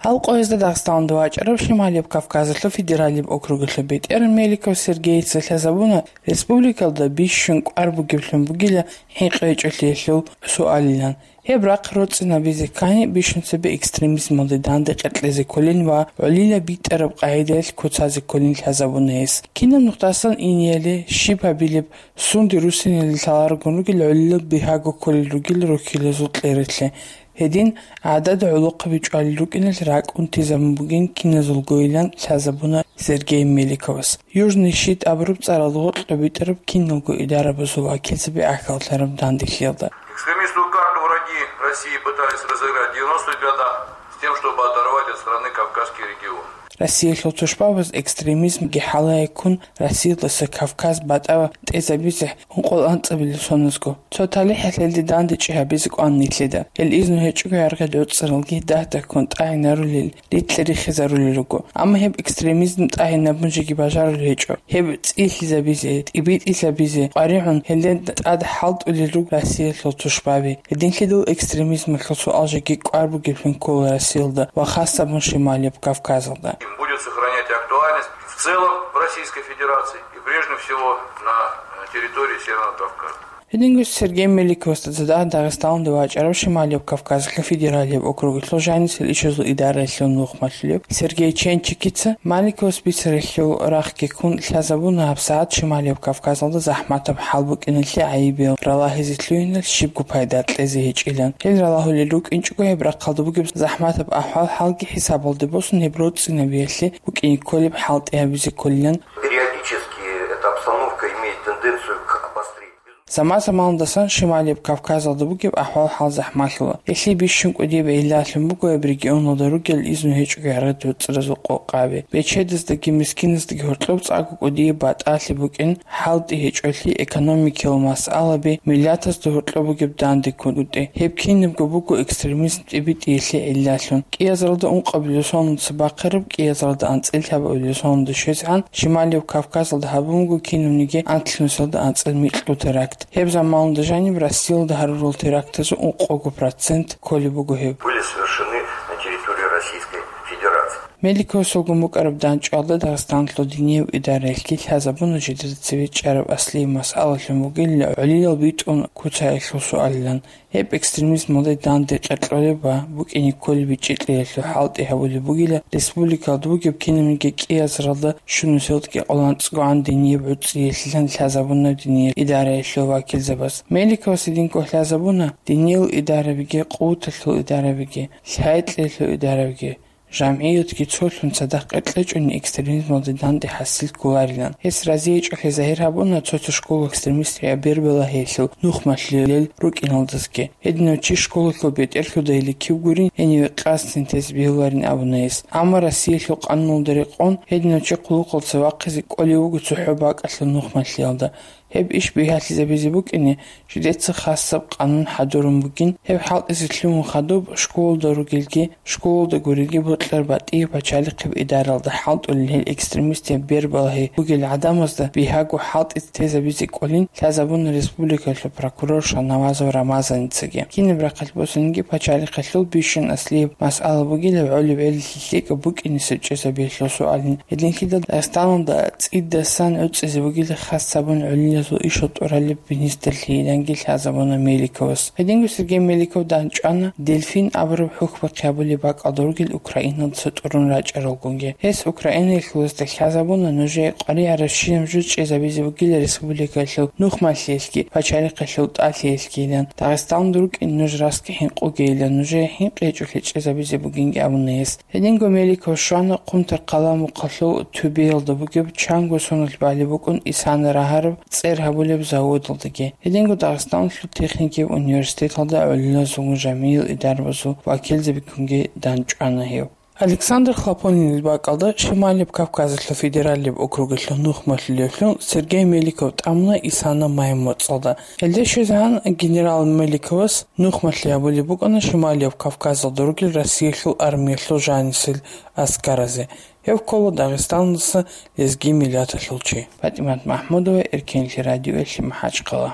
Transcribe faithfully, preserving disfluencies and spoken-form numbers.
Гьал къоязда Дагъистаналда вачӀарав Шималияб Кавказалъул федералияб округалъул бетӀер Меликов Сергейица лъазабуна республикалда бищун кӀвар бугеблъун бугила хӀинкъичӀолъиялъул суалилан. Гьеб рахъ роцӀцӀинабизе ккани, бищун цебе экстремизмалде данде къеркьезе кколин ва гӀолила битӀараб къагӀидаялъ куцазе кколин лъазабуна гьес. Кинаб нухдасан инияли щиб гьабилеб, сунде руссиналде лъаларогун ругел гӀолилал бигьаго кколел ругел рухьилазул кьереклъи. Гьедин, гӀадада гӀолохъаби чӀвалел рукӀиналъ ракӀ унтизабун бугин киназулгойилан лъазабуна Сергей Меликовас. Южный щит абураб цӀаралда гъоркьа битӀараб киналго идарабазул вакилзаби ахьаллъараб данделъиялда. Экстремистскую карту враги России пытались разыграть в девяностых годах с тем, чтобы оторвать от страны Кавказский регион. Россиялъул тушбабаз экстремизмги хӀалаяккун Россиялдаса Кавказ батӀа тӀезабизе ункъоялда анцӀабилеб соназго. Цо талихӀалъ гьелде дандечӀи гьабизе кӀван нилъеда. Гьел изну гьечӀого гӀергъи доцӀцӀаралги дагь-дагьккун тӀагӀинарулел рикьи рихизарулел руго. Амма гьеб экстремизм тӀагӀинабун жеги бажарулеб гьечӀо. Гьеб цӀилъизабизе, тӀибитӀизабизе къваригӀун гьелда тӀад хӀалтӀулел руго Россиялъул тушбаби. Гьединлъидал экстремизмалъул суал жеги кӀвар бугеблъун ккола Россиялда ва хасабун Шималияб Кавказалда. Будет сохранять актуальность в целом в Российской Федерации и прежде всего на, э, территории Северного Кавказа. Гьединго Сергей Меликовасда цадахъ Дагъистаналда вачӀарав Шималияб Кавказалъул федералияб округалъул жанисел ишазул идараялъул нухмалъулев Сергей Ченчикица Меликовас бицаралъул рахъги ккун лъазабуна гьабсагӀат Шималияб Кавказалда захӀматаб хӀал букӀиналъе гӀайибиял ралагьизе лъугьиналъ щибго пайда кьезе гьечӀилан. Гьел ралагьулел рукӀинчӀого гьеб рахъалда бугеб захӀматаб ахӀвал-хӀалги хӀисабалде босун гьеб роцӀцӀинабиялъе букӀине кколеб хӀалтӀи гьабизе кколилан. Периодически эта обстановка имеет тенденцию к обострению. Заман-заманалдасан Шималияб Кавказалда бугеб ахӀвал-хӀал захӀмалъула. Гьелъие бищун кӀудияб гӀиллалъун буго гьеб регионалда ругел изну гьечӀого гӀергъи доцӀцӀаразул къокъаби. Бечедаздаги мискиназдаги гьоркьоб цӀакъго кӀудияб батӀалъи букӀин, хӀалтӀи гьечӀолъи, экономикиял масъалаби, миллатазда гьоркьоб бугеб данде ккун бутӀи. Гьеб кинабго буго экстремизм тӀибитӀиялъе гӀиллалъун. КӀиазаралда ункъабилеб соналдаса бахъараб, кӀиазаралда анцӀила лъабабилеб соналда щвезегӀан, Шималияб Кавказалда гьабун буго кинабниги анлънусиялда анцӀила микьго теракт. Гьеб заманалда жаниб Россиялда гьарурал терактазул ункъого процент кколеб буго гьеб. Были совершены на территории Российской Федерации. Меликовасулгун букӀараб дандчӀвалда Дагъистаналъул динияб идараялъги лъазабуна жидеда цеве чӀараб аслияб масъалалъун бугелила гӀолилал битӀун куцаялъул суалилан. Гьеб экстремизмалде данде къеркьолеб ва букӀине кколеб бичӀчӀи кьеялъул хӀалтӀи гьабулеб бугила республикалда бугеб кинабниги кӀиазаралда щунусиялдаги къоланцӀгогӀан динияб гӀуцӀиялъилан лъазабуна динияб идараялъул вакилзабаз. Меликовас гьединго лъазабуна диниял идарабиги, къуваталъул идарабиги, лъай-кьеялъул идарабиги, жамгӀиятги цолъун цадахъ къеркьечӀони экстремизмалде данде хӀасил кколарилан. Гьес разиячӀолъи загьир гьабуна цо-цо школа экстремистри Бербалагьиялъул нухмалъулел рукӀиналдасги. Гьединав чи школалъул бетӀерлъудайилан кив гурин, гьениве къасд синтез бегьуларин абуна гьес. Амма Россиялъул къануналда рекъон, гьединав чи хъулухъалдаса вахъизе кӀолев вуго цохӀо бакӀалъул нухмалъиялда. Гьеб иш бигьалъизабизе букӀине, жидеца хасаб къанун хӀадурун бугин, гьеб хӀалтӀизе лъугьун хадуб школалда ругелги, школалда гурелги бокьараб батӀияб пачалихъеб идаралда хӀалтӀулел гьел экстремистияб Бербалагьи бугел гӀадамазда бигьаго хӀалтӀи тезабизе кӀолин лъазабуна республикалъул прокурор Шанавазов Рамазаницаги. Кинаб рахъалъ босаниги пачалихъалъул бищун аслияб масъала бугила гӀолеб гӀелалъе лъикӀаб букӀинесеб чӀезабиялъул суалин. Гьединлъидал Дагъистаналда цӀидасан гӀуцӀизе бугила хасабун гӀолилазул ишал тӀуралеб министрлъиялъеги лъазабуна Меликовас. Гьединго Сергей Меликов дандчӀвана Дельфин абураб хӀухьбахъи гьабулеб бакӀалда ругел Украиналдаса тӀурун рачӀаралгунги. Гьес Украинаялъулазда лъазабуна нужее къваригӀарабщинаб жо чӀезабизе бугила республикаялъул нухмалъиялъги пачалихъалъул тӀалъиялъгийилан. Дагъистаналда рукӀин нуж расги хӀинкъугейилан, нужее хӀинкъи гьечӀолъи чӀезабизе бугинги абуна гьес. Гьединго Меликов щвана Къунтар-Къала мухъалъул Тюбеялда бугеб чанго соналъ балеб букӀун Исана рагьараб цӀер гьабулеб заводалдаги. Гьединго Дагъистаналъул техникияб университеталда гӀолилазулгун жамгӀиял идарабазул вакилзабигунги дандчӀвана гьев. Александр Хлопонинил бакӀалда Шималияб Кавказалъул федералияб округалъул нухмалъулевлъун Сергей Меликов тӀамуна Исана май моцӀалда. Гьелде щвезегӀан генерал Меликовас нухмалъи гьабулеб букӀана Шималияб Кавказалда ругел Россиялъул армиялъул жанисел аскаразе. Гьев ккола Дагъистаналдаса лезги миллаталъул чи. ПатӀимат МахӀмудова, Эркенлъи радиоялъе, МахӀачхъала.